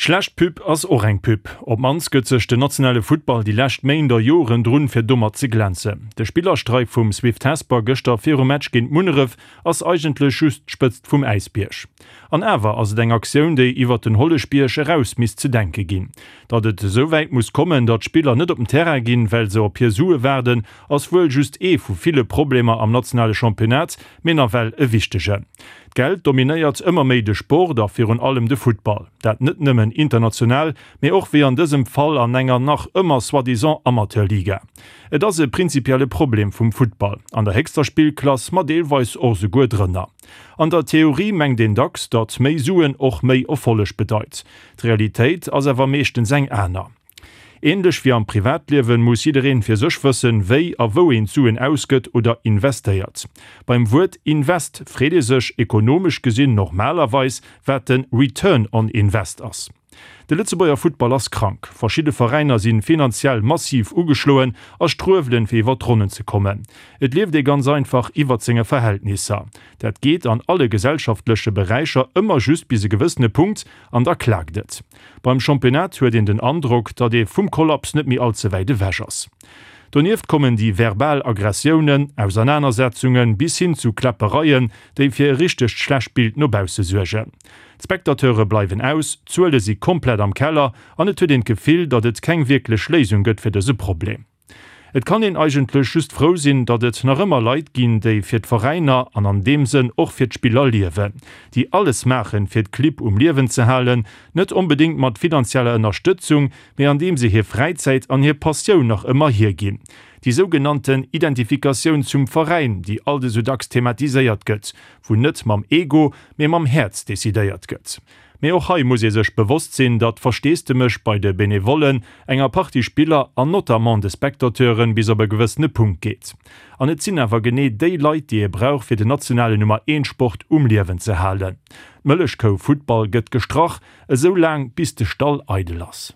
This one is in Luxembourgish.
Schlecht Pub ass och eng Pub. Op d'mannst gëtt sech den nationale Futtball déi lescht Méint a Joren drun, fir domat ze glänzen. De Spillerstreik vum Swift Hesper gëschter virum Match géint Munneref ass eigentlech just d'Spëtzt vum Äisbierg. An awer ass et eng Aktioun, déi iwwert den Holleschbierg eraus misst ze denke ginn. Datt et esou wäit muss kommen, datt Spiller net op den Terrain ginn, well se op hir Sue waarden, ass wuel just ee vu ville Problemer am nationale Championnat, mee nawell e wichtegen. D'Geld dominéiert ëmmer méi de Sport a virun allem de Futtball. Dat net nëmmen international, mee och wéi an dësem Fall an enger nach ëmmer soi-disant Amateurliga. Et ass e prinzipielle Problem vum Futtball, an der héchster Spillklass, ma deelweis och souguer drënner. An der Theorie mengt een dacks, datt méi Suen och méi Erfolleg bedeit. D'Realitéit ass awer meeschtens eng aner. Ähnlech wéi am Privatliewen muss jiddereen fir sech wëssen, wéi a wou een d'Suen ausgëtt oder investéiert. Beim Wuert Invest freet ee sech, ekonomesch gesinn, normalerweis, wat den Return on Invest ass. De Lëtzebuerger Futtball ass krank. Verschidde Veräiner sinn finanziell massiv ugeschloen a struewelen fir iwwer d'Ronnen ze kommen. Et lieft ee ganz einfach iwwert senge Verhältnisser. Dat geet an alle gesellschaftleche Beräicher ëmmer just bis e gewëssene Punkt an da klaakt et. Beim Championnat huet een den Androck, datt ee vum Kollaps net méi all ze wäit ewech ass. Donieft kommen déi verbal Aggressiounen, Ausernanersetzungen bis hin zu Kläppereien, déi fir e richtegt schlecht Bild no bausse suergen. D'Spectateure bleiwen aus, d'Zuele si komplett am Keller an et huet een d'Gefill, datt et keng wierklech Léisung gëtt fir dëse Problem. Et kann een eigentlech just frou sinn, datt et nach ëmmer Leit ginn, déi fir d'Veräiner an an deem Sënn och fir d'Spiller liewen, déi alles maachen, fir d'Clibb um Liewen ze halen, net onbedéngt mat finanzieller Ënnerstëtzung, mee andeem se hir Fräizäit an hir Passioun nach ëmmer hierginn. Déi sougenannten Identifikatioun zum Veräin, déi alt esou dacks thematiséiert gëtt, wou net mam Ego, mee mam Häerz decidéiert gëtt. Mee och hei muss ee sech bewosst sinn, datt Versteesdemech bei de Benevollen, enger Partie Spiller an notamment de Spectateuren bis op e gewëssene Punkt geet. An et sinn awer genee déi Leit, déi ee brauch fir den nationalen Nummer eent Sport um Liewen ze halen. D'Mëllechkou Futtball gëtt gestrach, esou laang bis de Stall eidel ass.